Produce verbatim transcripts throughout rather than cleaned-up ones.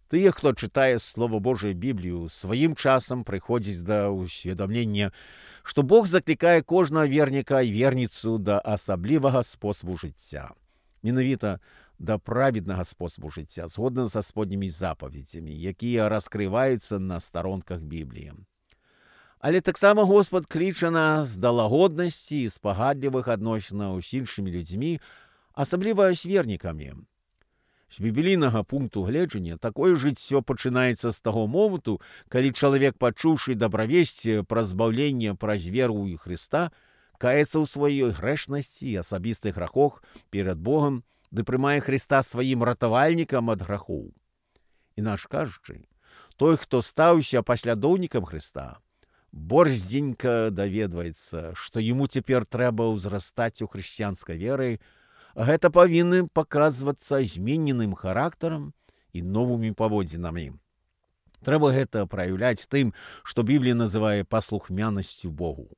Тыя, хто чытае Слово Божие Біблію, сваім часам прыходзіць да ўсведамлення, што Бог заклікае кожнага верніка і верніцу да асаблівага спосабу жыцця. Менавіта да праведнага спосабу жыцця, згодна са споднімі запаведзямі, якія раскрываюцца на старонках Бібліі. Але таксама Господ кліча нас да лагоднасці і спагадлівых адносінаў з іншымі людзьмі, асабліва з вернікамі. З біблійнага пункту гледжання такое жыццё пачынаецца з таго моманту, калі чалавек, пачуўшы дабравесці пра збаўленне праз веру ў Хрыста, каецца ў сваёй грэшнасці і асабістых грахах перад Богам, ды прымае Хрыста сваім ратавальнікам ад грахоў. Інакш кажучы, той, хто стаўся паслядоўнікам Хрыста, борздзенька даведваецца, што яму цяпер трэба ўзрастаць у хрысціянскай веры, а гэта павінны паказвацца змененым характарам і новымі паводзінамі. Трэба гэта праяўляць тым, што Біблія называе паслухмянасцю Богу.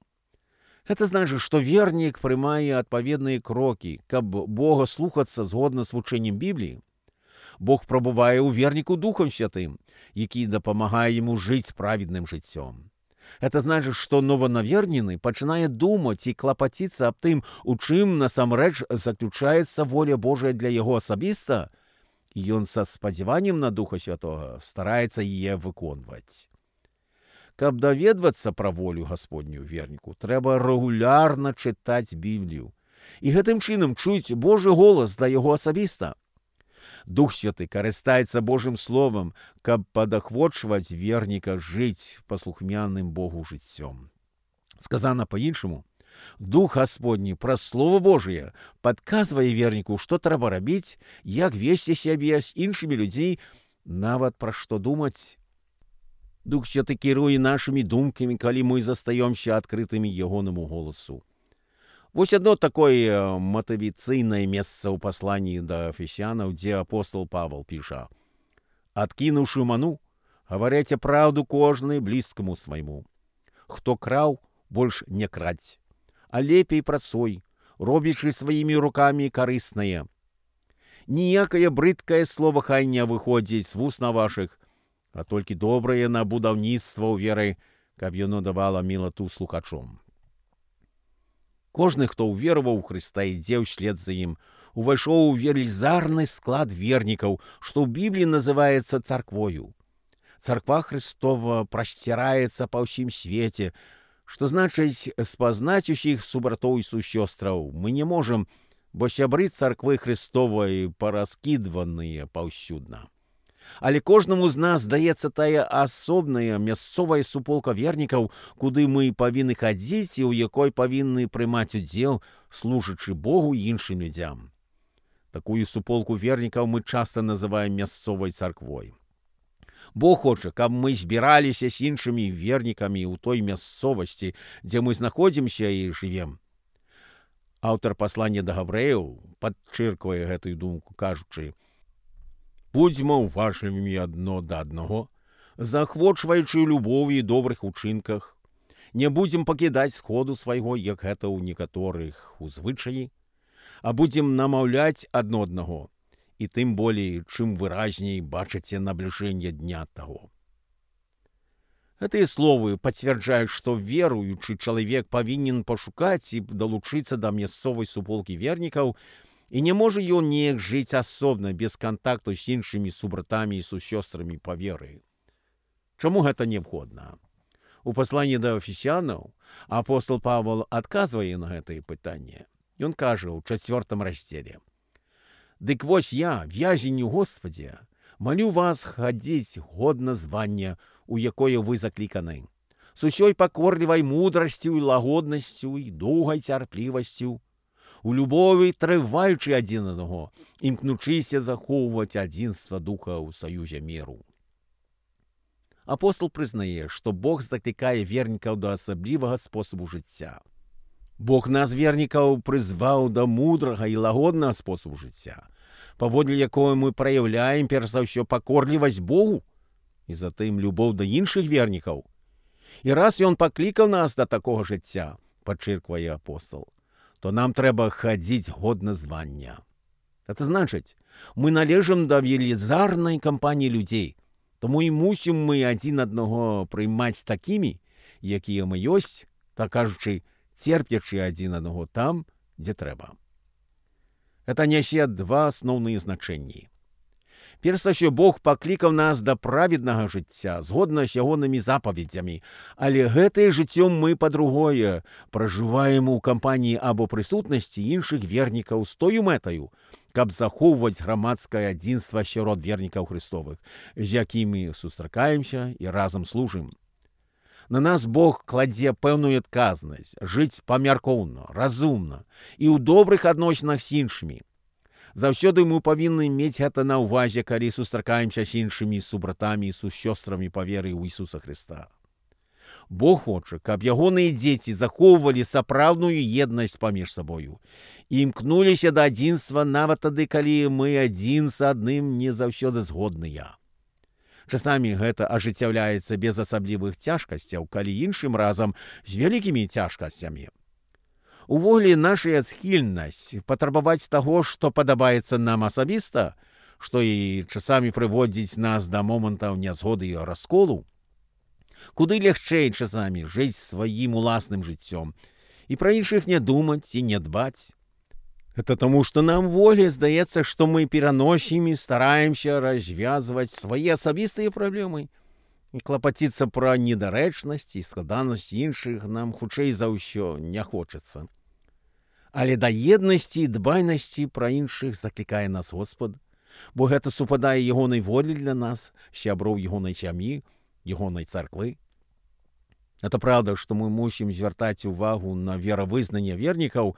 Гэта значыць, што вернік прымае адпаведныя крокі, каб Бога слухацца згодна з вучэннем Бібліі. Бог прабывае ў верніку Духам Святым, які дапамагае яму жыць праведным жыццём. Гэта значыць, што нованавернены пачынае думаць і клапаціцца аб тым, у чым насамрэч заключаецца воля Божая для яго асабіста, і ён са спадзяваннем на Духа Святога стараецца яе выконваць. Каб даведвацца пра волю Гасподнюю верніку, трэба рэгулярна чытаць Біблію і гэтым чынам чуць Божы голас да яго асабіста. Дух Святы карыстаецца Божым Словам, каб падахвочваць верніка жыць паслухмяным Богу жыццём. Сказана па-іншаму, Дух Гасподні праз Слово Божие падказвае верніку, што трэба рабіць, як весці сябе з іншымі людзьмі, нават пра што думаць. Дух Святы кіруе нашымі думкамі, калі мы застаёмся адкрытымі ягонаму голасу. Вось одно такое матывацыйнае месца ў пасланні да Эфесянаў, дзе апостол Павел піша: «Адкінуўшы ману, гаваряце праўду кожны блізкаму свайму. Хто краў, больш не краць, а лепей працуй, робячы сваімі рукамі карыснае. Ніякае брыдкае слова хай не выходзіць з вусна вашых, а толькі добрае на будаўніцтва ў веры, каб яно давала мілату слухачом». Кожны, хто ўвераваў у Хрыста, ідзе ўслед за ім, увайшоў у велізарны склад вернікаў, што ў Бібліі называецца царквою. Царква Хрыстова прасціраецца па ўсім свеце, што значыць, спазнаць усіх субратоў і сусёстраў мы не можам, бо сябры царквы Хрыстовай параскідваныя паўсюдна. Але кожнаму з нас здаецца тая асобная мясцовая суполка вернікаў, куды мы павінны хадзіць і ў якой павінны прымаць удзел, служачы Богу і іншым людзям. Такую суполку вернікаў мы часта называем мясцовай царквой. Бог хоча, каб мы збіраліся з іншымі вернікамі ў той мясцовасці, дзе мы знаходзімся і жывем. Аўтар паслання да габрэяў падчырквае гэтую думку, кажучы: «Будзьма уважлівымі адно да аднаго, заахвочваючы любові і добрых учынках. Не будзем пакідаць сходу свайго, як гэта ў некаторых у звычаі, а будзем намаўляць адно аднаго, і тым болей, чым выразней бачыце набліжэнне дня таго». Гэтыя словы пацвярджаюць, што веруючы чалавек павінен пашукаць і далучыцца да мясцовай суполкі вернікаў, і не можа ён неяк жыць асобна, без кантакту з іншымі субратамі і сусёстрамі па веры. Чаму гэта неабходна? У пасланні да Эфесянаў апостол Павел адказвае на гэтае пытанне. Ён кажа ў чацвёртым раздзеле: «Дык вось я, вязень у Господе, малю вас хадзіць годна звання, у якое вы закліканы, з усёй пакорлівай мудрасцю і лагоднасцю і доўгай цярплівасцю, у любові трываючы адзін аднаго, імкнучыся захоўваць адзінства духа ў саюзе міру». Апостол прызнае, што Бог заклікае вернікаў да асаблівага спосабу жыцця. Бог нас, вернікаў, прызваў да мудрага і лагоднага спосабу жыцця, паводле якого мы праяўляем перш за ўсё пакорлівасць Богу і затым любоў да іншых вернікаў. І раз ён паклікаў нас да такога жыцця, падчырквае апостол, то нам трэба хадзіць годна звання. Гэта значыць, Мы належим до велізарної компанії людей, тому і мусимо ми один одного приймати такими, які ми єсть, так кажучи, терплячи один одного там, де треба. Це несе два основні значення. Перше, що Бог покликав нас до праведного життя, згодно з Йогоними заповідями, але гэте життя ми по-другое проживаємо у компанії або присутності інших вірників з тою метою, каб заховувати громадське единство сярод вірників Христових, з якими зустрічаємося і разом служимо. На нас Бог кладе певну адказність жити помірковно, розумно і у добрих відносинах з іншими. Заўсёды мы павінны мець гэта на ўвазе, калі сустракаемся з іншымі субратамі і сусёстрамі па веры ў Ісуса Христа. Бог хоча, каб ягоныя дзеці захоўвалі сапраўдную еднасць паміж сабою і імкнуліся да адзінства нават тады, калі мы адзін з адным не заўсёды згодныя. Часамі гэта ажыццяўляецца без асаблівых цяжкасцяў, калі іншым разам з вялікімі цяжкасцямі. Увогуле, наша схільнасць патрабаваць таго, што падабаецца нам асабіста, што і часамі прыводзіць нас да момантаў нязгоды і расколу, куды лягчэй часамі жыць сваім уласным жыццём і пра іншых не думаць і не дбаць. Это таму, што нам волі здаецца, што мы пераносім і стараемся развязваць свае асабістыя праблемы. І клапаціцца пра недарэчнасць і складанасць іншых нам хутчэй за ўсё не хочацца. Але да еднасці і дбайнасці пра іншых заклікае нас Господ, бо гэта супадае ягонай волі для нас, сяброў ягонай сям'і, ягонай царквы. Это правда, што мы мусім звяртаць увагу на веравызнанне вернікаў,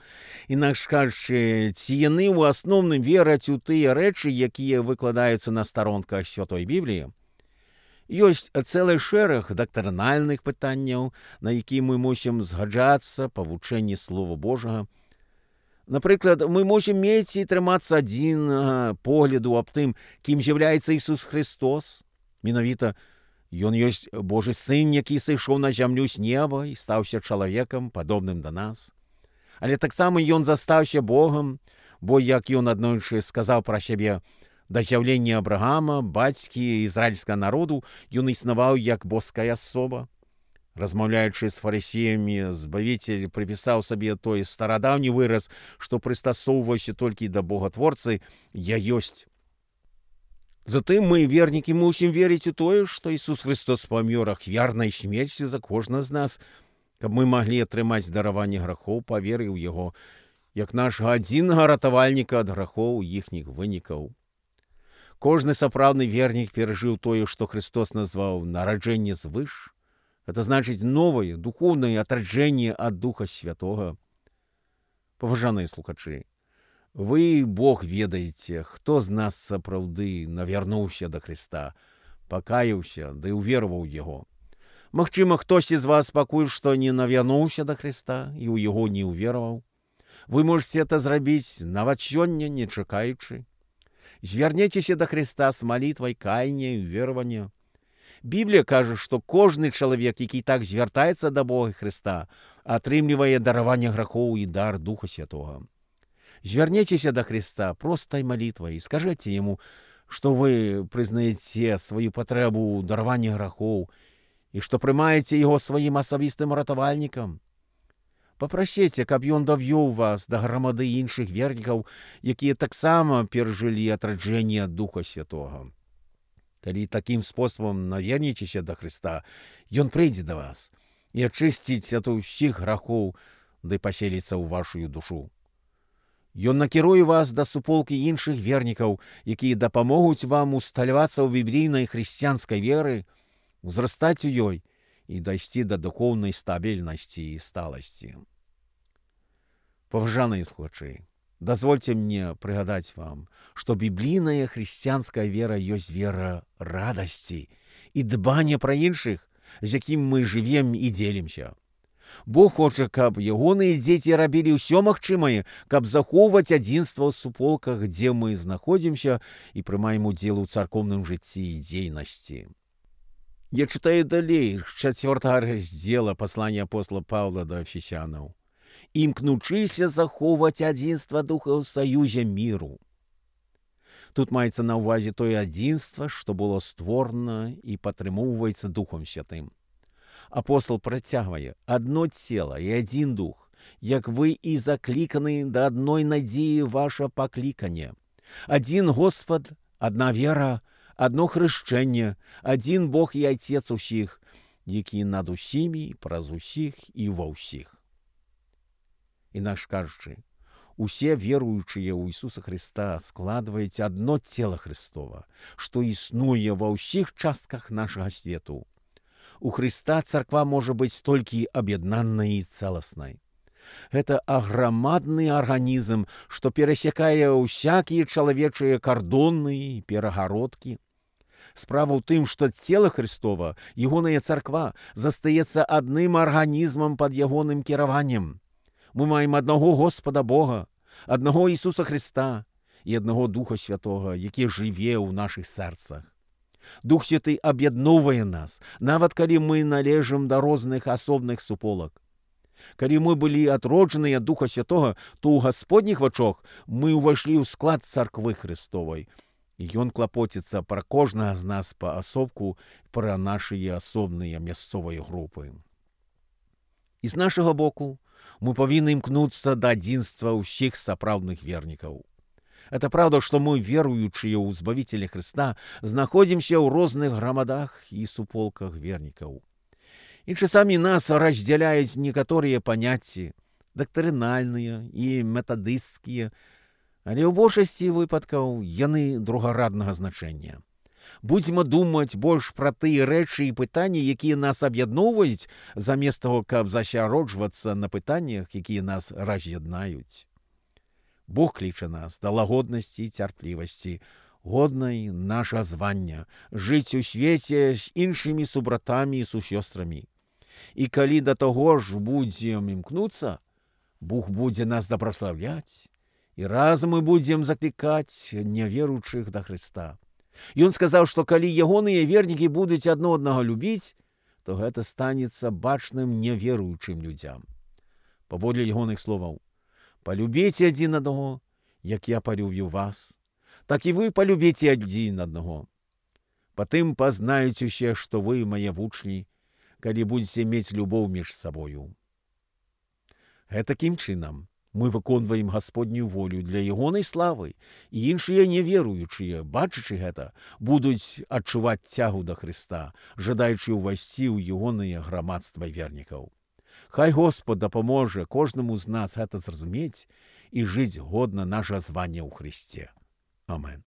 інакш кажучы, ці яны ў асноўным вераць у тыя рэчы, якія выкладаюцца на старонках Святой Бібліі. Ёсць цэлы шэраг дактрынальных пытанняў, на які мы мусім згаджацца па вучэнні Слова Божага. Напрыклад, мы мусім мець і трымацца адзін погляду аб тым, кім з'яўляецца Ісус Христос. Менавіта, Ён ёсць Божы Сын, які сышоў на зямлю з неба і стаўся чалавекам, падобным да нас. Але таксама Ён застаўся Богам, бо, як Ён аднойчы сказаў пра сябе, да з'яўлення Абрагама, бацькі ізраільскага народу, Ён існаваў як боская асоба. Размаўляючы з фарысеямі, Збавіцель прыпісаў сабе той старадаўні выраз, што прыстасоўваўся толькі да Богатворцы «Я ёсць». Затым мы, вернікі, мусім верыць у тое, што Ісус Христос памёр ахвярнай смерці за кожнага з нас, каб мы маглі атрымаць дараванне грахоў па веры ў Яго, як нашага адзінага ратавальніка ад грахоў іхніх вынікаў. Кожны сапраўдны вернік перажыў тое, што Христос назваў нараджэнне звыш. Это значыць новае, духоўнае атраджэнне ад Духа Святога. Паважаныя слухачы, вы, Бог, ведаеце, хто з нас сапраўды навярнуўся да Христа, пакаяўся, ды ўвераваў Яго. Магчыма, хтосьці з вас пакуль што не навярнуўся да Христа і ў Яго не ўвераваў. Вы можете это зрабіць нават сёння, не чакаючы. Звярнецеся да Христа з малітвай каяння і ўверавання. Біблія кажа, што кожны чалавек, які так звяртаецца да Бога Христа, атрымлівае дараванне грахоў і дар Духа Святога. Звярнецеся да Христа простай малітвай і скажыце Яму, што вы прызнаеце сваю патрэбу ў дараванні грахоў і што прымаеце Яго сваім асабістым ратавальнікам. Папрасіце, каб Ён давёў вас да грамады іншых вернікаў, якія таксама перажылі атраджэнне ад Духа Святога. Калі такім спосабам навернецеся да Христа, Ён прыйдзе да вас і ачысціць ад усіх грахоў, ды паселіцца ў вашую душу. Ён накіруе вас да суполкі іншых вернікаў, якія дапамогуць вам усталявацца ў біблійнай хрысціянскай веры, узрастаць у ёй і дайсці да духоўнай стабільнасці і сталасці. Паважаныя слухачы, дазвольце мне прыгадаць вам, што біблійная хрысціянская вера ёсць вера радасці і дбання пра іншых, з якім мы жывем і дзелімся. Бог хоча, каб ягоныя дзеці рабілі ўсё магчымае, каб захоўваць адзінства ў суполках, дзе мы знаходзімся і прымаем удзел у царкоўным жыцці і дзейнасці. Я чытаю далей з чацвёртага раздзела паслання апостола Паўла да Эфесянаў. Імкнучыся захоўваць адзінства духа ў саюзе міру. Тут мається на увазі те одинство, що було створено і підтримується Духом Святим. Апостол протягує: «Одно тіло і один дух, як ви і закликані до одної надії ваше покликання. Один Господь, одна віра, одно хрещення, один Бог і Отець усіх, який над усіми, праз усіх і во всіх». Інакше кажучи, усе веруючие ў Ісуса Христа складваюць одно тело Христова, што існуе ва ўсіх частках нашага свету. У Христа царква можа быць толькі аб'яднанай і цэласнай. Гэта аграмадны арганізм, што перасякае ўсякія чалавечыя кардоны і перагародкі. Справа ў тым, што цела Христова, ягоная царква, застаецца адным арганізмам пад ягоным кіраваннем. Мы маем аднаго Господа Бога, аднаго Ісуса Христа і аднаго Духа Святога, які жыве ў нашых сэрцах. Дух Святы аб'ядноўвае нас, нават калі мы належым да розных асобных суполак. Калі мы былі адроджаныя ад Духа Святога, то ў Гасподніх вачах мы ўвайшлі ў склад царквы Христовай. І Ён клапоціцца пра кожнага з нас паасобку, пра нашыя асобныя мясцовыя групы. І з нашага боку мы павінны імкнуцца да адзінства ўсіх сапраўдных вернікаў. Это правда, што мы, веруючыя ў Збавіцеля Христа, знаходзімся ў розных грамадах і суполках вернікаў. І часамі нас раздзяляюць некаторыя паняцці, дактрынальныя і метадысцкія, але ў большасці выпадкаў яны другараднага значэння. Будзьма думаць больш пра тыя рэчы і пытанні, якія нас аб'ядноўваюць, замест таго, каб засяроджвацца на пытаннях, якія нас раз'яднаюць. Бог кліча нас да лагоднасці і цярплівасці, годнай наша звання, жыць у свеце з іншымі субратамі і сусёстрамі. І калі да таго ж будзем імкнуцца, Бог будзе нас дабраслаўляць, і разам мы будзем заклікаць няверуючых да Христа. Ён сказаў, што калі ягоныя вернікі будуць адно аднаго любіць, то гэта станецца бачным няверуючым людзям. Паводле ягоных словаў: «Палюбіце адзін аднаго, як я палюбіў вас, так і вы палюбіце адзін аднаго. Патым пазнаюць усе, што вы мае вучні, калі будзеце мець любоў між сабою». Гэтакім чынам мы выконваем Гасподнюю волю для ягонай славы, і іншыя неверуючыя, бачачы гэта, будуць адчуваць цягу да Христа, жадаючы ўвайсці ў ягонае грамадства вернікаў. Хай Господ дапаможа кожнаму з нас гэта зразумець і жыць годна наша звання ў Христе. Амен.